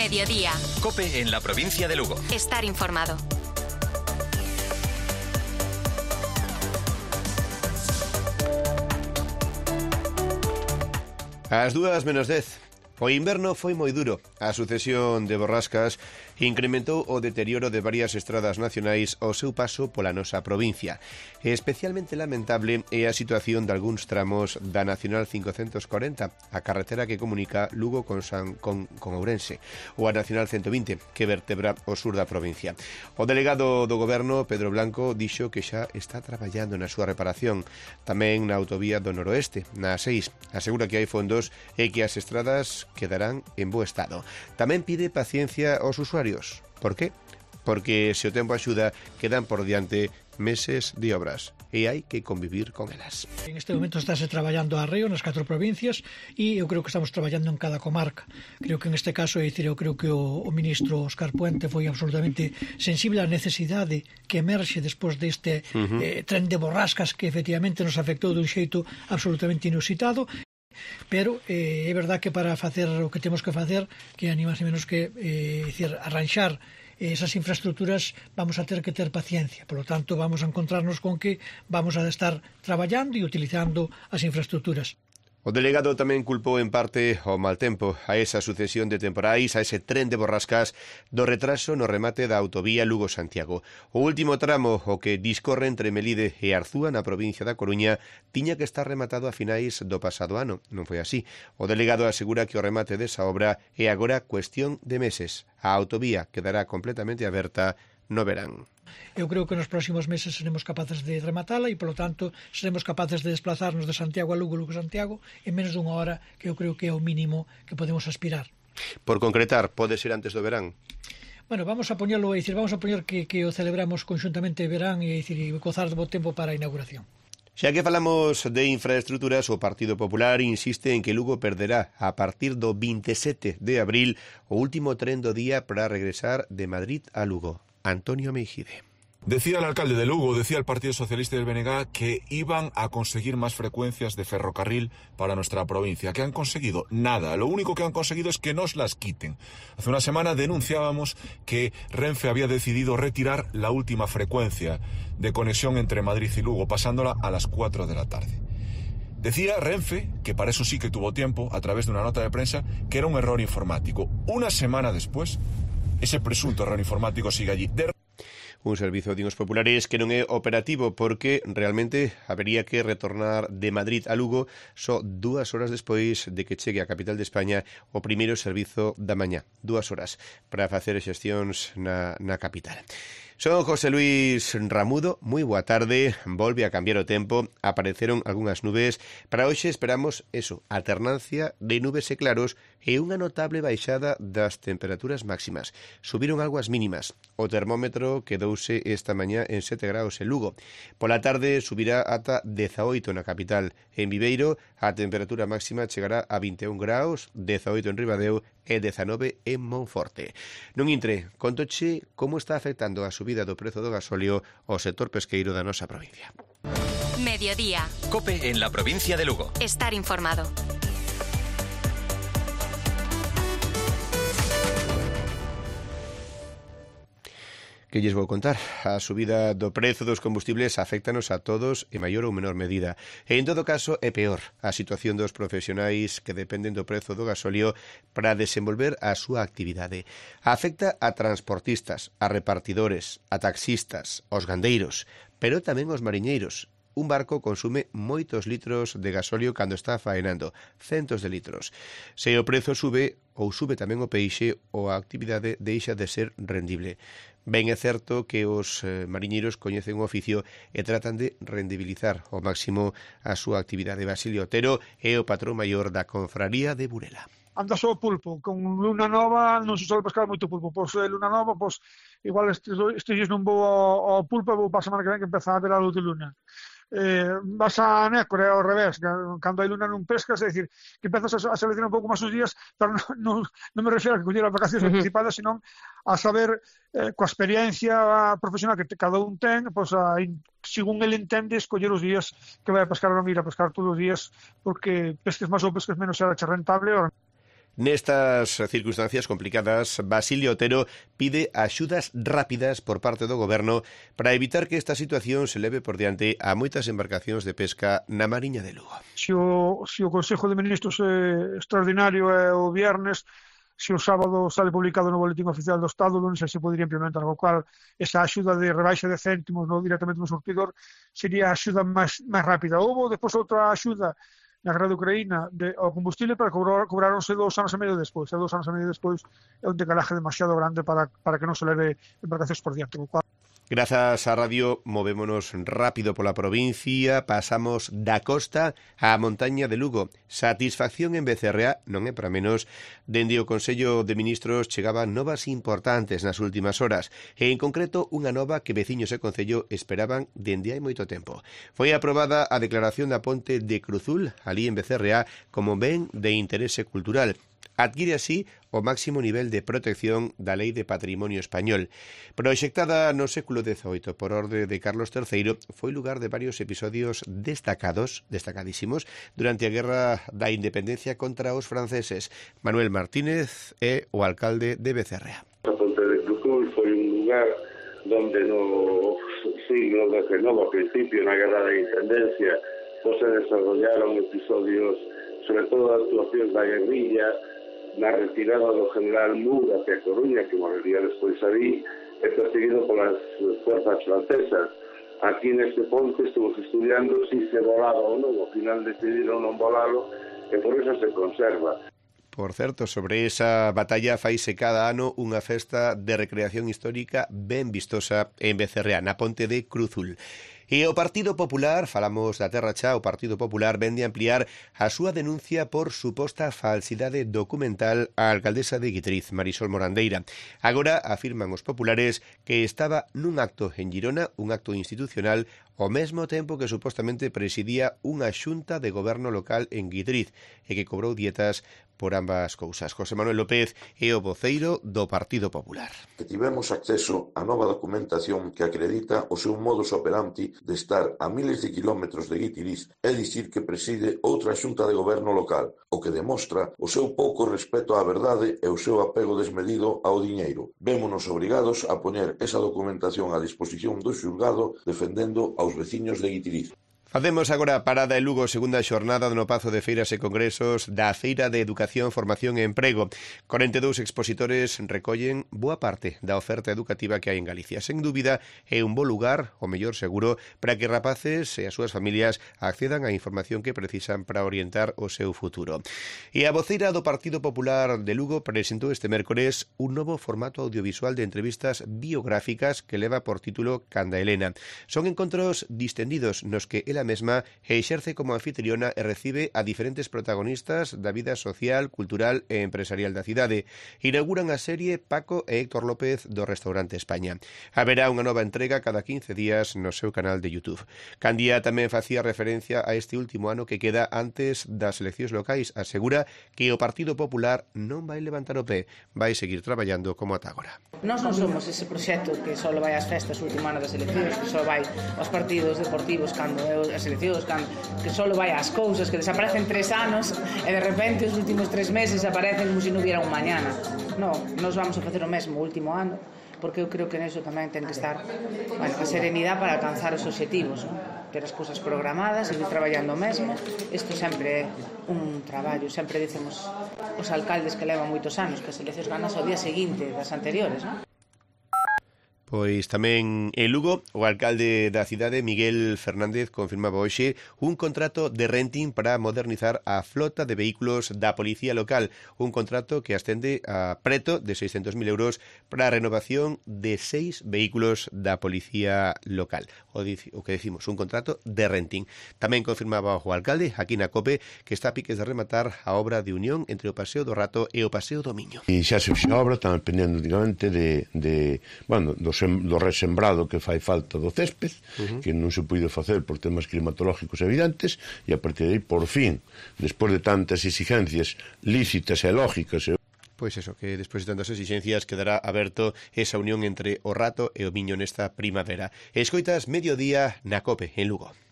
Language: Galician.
Mediodía. COPE en la provincia de Lugo. Estar informado. Ás 2:10. O inverno foi moi duro. A sucesión de borrascas incrementou o deterioro de varias estradas nacionais ao seu paso pola nosa provincia. Especialmente lamentable é a situación de algúns tramos da Nacional 540, a carretera que comunica Lugo con Ourense, ou a Nacional 120, que vertebra o sur da provincia. O delegado do Goberno, Pedro Blanco, dixo que xa está traballando na súa reparación. Tamén na autovía do noroeste, na A6. Asegura que hai fondos e que as estradas quedarán en bo estado. Tamén pide paciencia aos usuarios. Por qué? Porque se o tempo axuda, quedan por diante meses de obras e hai que convivir con elas. En este momento estáse traballando a arreo nas 4 provincias e eu creo que estamos traballando en cada comarca. Creo que en este caso, eu creo que o ministro Óscar Puente foi absolutamente sensible á necesidade que emerxe despois deste tren de borrascas que efectivamente nos afectou dun xeito absolutamente inusitado. Pero é verdad que para facer o que temos que facer, que ni máis ni menos que arranxar esas infraestructuras, vamos a ter que ter paciencia. Por lo tanto, vamos a encontrarnos con que vamos a estar traballando e utilizando as infraestructuras. O delegado tamén culpou en parte ao mal tempo, a esa sucesión de temporais, a ese tren de borrascas do retraso no remate da autovía Lugo-Santiago. O último tramo, o que discorre entre Melide e Arzúa na provincia da Coruña, tiña que estar rematado a finais do pasado ano. Non foi así. O delegado asegura que o remate desa obra é agora cuestión de meses. A autovía quedará completamente aberta no verán. Eu creo que nos próximos meses seremos capaces de rematala e, polo tanto, seremos capaces de desplazarnos de Santiago a Lugo, Lugo-Santiago, en menos dunha hora, que eu creo que é o mínimo que podemos aspirar. Por concretar, pode ser antes do verán? Bueno, vamos a poñerlo, vamos a poñer que o celebramos conxuntamente verán e gozar do bo tempo para a inauguración. Xa que falamos de infraestructuras, o Partido Popular insiste en que Lugo perderá a partir do 27 de abril o último tren do día para regresar de Madrid a Lugo. Antonio Meijide. Decía el alcalde de Lugo, decía el Partido Socialista del BNG que iban a conseguir más frecuencias de ferrocarril para nuestra provincia. ¿Qué han conseguido? Nada. Lo único que han conseguido es que nos las quiten. Hace una semana denunciábamos que Renfe había decidido retirar la última frecuencia de conexión entre Madrid y Lugo, pasándola a las 4 de la tarde. Decía Renfe, que para eso sí que tuvo tiempo, a través de una nota de prensa, que era un error informático. Una semana después, ese presunto error informático sigue allí. Un servizo de unos populares que non é operativo porque realmente habería que retornar de Madrid a Lugo só 2 horas despois de que chegue a capital de España o primeiro servizo da mañá. 2 horas para facer xestións na capital. Son José Luis Ramudo, moi boa tarde, volve a cambiar o tempo, apareceron algunhas nubes, para hoxe esperamos eso, alternancia de nubes e claros e unha notable baixada das temperaturas máximas. Subiron algo as mínimas, o termómetro quedouse esta mañá en 7 graus en Lugo. Pola tarde subirá ata 18 na capital. En Viveiro a temperatura máxima chegará a 21 graus, 18 en Ribadeo e 19 en Monforte. Non intre, contoche como está afectando a subida do prezo do gasóleo ao sector pesqueiro da nosa provincia. Mediodía. COPE en la provincia de Lugo. Estar informado. Que lles vou contar? A subida do prezo dos combustibles aféctanos a todos en maior ou menor medida. E en todo caso é peor a situación dos profesionais que dependen do prezo do gasóleo para desenvolver a súa actividade. Afecta a transportistas, a repartidores, a taxistas, aos gandeiros, pero tamén aos mariñeiros. Un barco consume moitos litros de gasóleo cando está faenando, centos de litros. Se o prezo sube, ou sube tamén o peixe, ou a actividade deixa de ser rendible. Ben é certo que os mariñeiros coñecen o oficio e tratan de rendibilizar ao máximo a súa actividade. Basilio Otero é o patrón maior da Confraría de Burela. Anda só o pulpo, con luna nova non se sobe pescar moito pulpo, pois luna nova, pois igual estes dias non vou ao pulpo e vou para a semana que ven que empeza a ver a luz de luna. Vas a Nécora ao revés, cando hai luna non pescas, é dicir, que empezas a seleccionar un pouco máis os días, pero non me refiro a que coller as vacacións anticipadas, senón a saber, coa experiencia profesional que cada un ten, pois según ele entende, escoller os días que vai a pescar, non ir a pescar todos os días, porque pesques máis ou pesques menos será rentable. Nestas circunstancias complicadas, Basilio Otero pide axudas rápidas por parte do Goberno para evitar que esta situación se leve por diante a moitas embarcacións de pesca na Mariña de Lugo. Se o Consello de Ministros extraordinario é o viernes, se o sábado sale publicado no Boletín Oficial do Estado, non sei se podería implementar, co cual esa axuda de rebaixa de céntimos directamente no surtidor sería a axuda máis rápida. Houve despois outra axuda na guerra de Ucraína ao combustible, para cobraronse 2 anos e medio despois. E 2 anos e medio despois é un decalaje demasiado grande para que non se leve embarcacións por diante, co cual Grazas á radio, movémonos rápido pola provincia, pasamos da costa á montaña de Lugo. Satisfacción en Becerrea non é para menos. Dende o Consello de Ministros chegaban novas importantes nas últimas horas, e en concreto unha nova que veciños e Concello esperaban dende hai moito tempo. Foi aprobada a declaración da ponte de Cruzul, ali en Becerrea, como ben de interese cultural. Adquire así o máximo nivel de protección da Lei de Patrimonio Español. Proxectada no século XVIII por orde de Carlos III, foi lugar de varios episodios destacadísimos durante a Guerra da Independencia contra os franceses. Manuel Martínez é o alcalde de Becerrea. A ponte de Cruzul foi un lugar donde no siglo XIX, a principio, na Guerra da Independencia, se desarrollaron episodios, sobre todo actuacións da guerrilla, na retirada do general Moore hacia Coruña, que morrería despois ali, e perseguido polas fuerzas francesas. Aquí neste ponte estuvos estudiando si se volaba ou non, ao final decidiron non volalo, e por eso se conserva. Por certo, sobre esa batalla faise cada ano unha festa de recreación histórica ben vistosa en Becerrea, na ponte de Cruzul. E o Partido Popular, falamos da Terra Chá, o Partido Popular vende ampliar a súa denuncia por suposta falsidade documental á alcaldesa de Guitriz, Marisol Morandeira. Agora afirman os populares que estaba nun acto en Girona, un acto institucional, ao mesmo tempo que supostamente presidía unha xunta de goberno local en Guitriz e que cobrou dietas por ambas cousas. José Manuel López é o voceiro do Partido Popular. Que tivemos acceso a nova documentación que acredita o seu modus operandi de estar a miles de kilómetros de Guitiriz, é dicir que preside outra xunta de goberno local, o que demostra o seu pouco respeto á verdade e o seu apego desmedido ao diñeiro. Vémonos obrigados a poñer esa documentación a disposición do xulgado defendendo aos veciños de Guitiriz. Facemos agora parada en Lugo, segunda xornada no Pazo de Feiras e Congresos da Feira de Educación, Formación e Emprego. 42 expositores recollen boa parte da oferta educativa que hai en Galicia. Sen dúbida, é un bo lugar, o mellor seguro, para que rapaces e as súas familias accedan á información que precisan para orientar o seu futuro. E a voceira do Partido Popular de Lugo presentou este mércores un novo formato audiovisual de entrevistas biográficas que leva por título Canda Helena. Son encontros distendidos nos que ela mesma exerce como anfitriona e recibe a diferentes protagonistas da vida social, cultural e empresarial da cidade. Inauguran a serie Paco e Héctor López do Restaurante España. Haberá unha nova entrega cada 15 días no seu canal de YouTube. Candía tamén facía referencia a este último ano que queda antes das eleccións locais. Asegura que o Partido Popular non vai levantar o pé, vai seguir traballando como ata agora. Nós non somos ese proxecto que só vai ás festas o último ano das eleccións, que só vai aos partidos deportivos cando é as eleccións, que só vai ás cousas, que desaparecen 3 anos e de repente os últimos 3 meses aparecen como se non hubiera un mañana. Non, nós vamos a facer o mesmo o último ano, porque eu creo que neso tamén ten que estar a serenidade para alcanzar os obxectivos, ter as cousas programadas e ir traballando o mesmo. Isto sempre é un traballo, sempre dicen os alcaldes que levan moitos anos que as eleccións ganas ao día seguinte das anteriores, non? Pois tamén en Lugo, o alcalde da cidade, Miguel Fernández, confirmaba hoxe un contrato de renting para modernizar a flota de vehículos da policía local. Un contrato que ascende a preto de 600.000 euros para a renovación de 6 vehículos da policía local. O que decimos, un contrato de renting. Tamén confirmaba o alcalde, aquí na COPE, que está a piques de rematar a obra de unión entre o Paseo do Rato e o Paseo do Miño. E xa se fixa a obra, están dependendo digamente do resembrado que fai falta do césped, que non se puido facer por temas climatológicos evidentes, e a partir de aí, por fin, despois de tantas exigencias lícitas e lógicas, pois eso, que despois de tantas exixencias quedará aberto esa unión entre o Rato e o Miño nesta primavera. Escoitas Mediodía na COPE, en Lugo.